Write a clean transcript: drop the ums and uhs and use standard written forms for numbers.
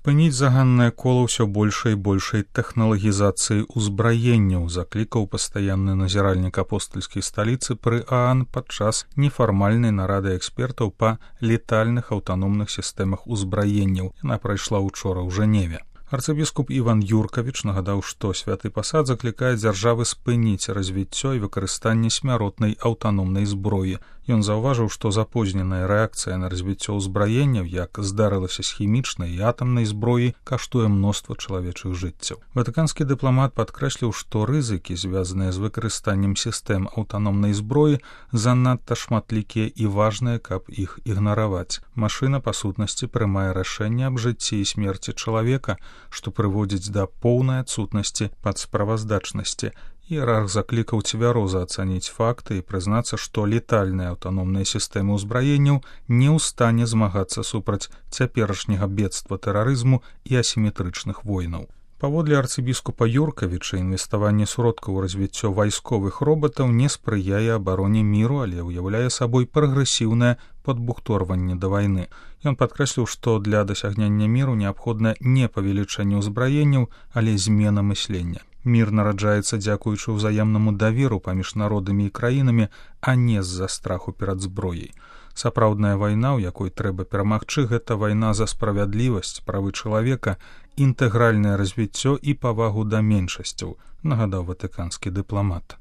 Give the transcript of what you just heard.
спыніць заганнае кола ўсё большай і большай тэхналагізацыі ўзбраенняў, заклікаў пастаянны назіральнік апостальскай сталіцы пры ААН падчас нефармальнай нарады экспертаў па летальных аўтаномных сістэмах узбраенняў. Яна прайшла учора ў Жэневе. Арцыбіскуп Іван Юркавіч нагадаў, што святы пасад заклікае дзяржавы спыніць развіццё і выкарыстанне смяротнай аўтаномнай зброі. Ён заўважыў, што запозненая рэакцыя на развіццё ўзбраенняў, як здарылася з хімічнай і атамнай зброі, каштуе мноства чалавечых жыццяў. Ватыканскі дыпламат падкрэсліў, што рызыкі, звязаныя з выкарыстаннем сістэм аўтаномнай зброі, занадта шматлікія і важныя, каб іх ігнараваць. Машына, па сутнасці, прымае рашэнне аб жыцці і смерці чалавека, што прыводзіць да поўнай адсутнасці падсправаздачнасці. Іерарх заклікаў цвяроза ацаніць факты і прызнацца, што летальныя аўтаномныя сістэмы ўзбраенняў не ў стане змагацца супраць цяперашняга бедства тэрарызму і асіметрычных войнаў. Паводле арцыбіскупа Юркавіча, інвеставанне сродкаў у развіццё вайсковых робатаў не спрыяе абароне міру, але ўяўляе сабой прагрэсіўнае падбухторванне да вайны. Ён падкрэсліў, што для дасягнення міру неабходна не павелічэнне ўзбраенняў, але змена мыслення. Мір нараджаецца дзякуючы ўзаемнаму даверу паміж народамі і краінамі, а не з-за страху перад зброяй. Сапраўдная вайна, у якой трэба перамагчы, гэта вайна за справядлівасць, правы чалавека, інтэгральнае развіццё і павагу да меншасцяў, нагадаў ватыканскі дыпламат.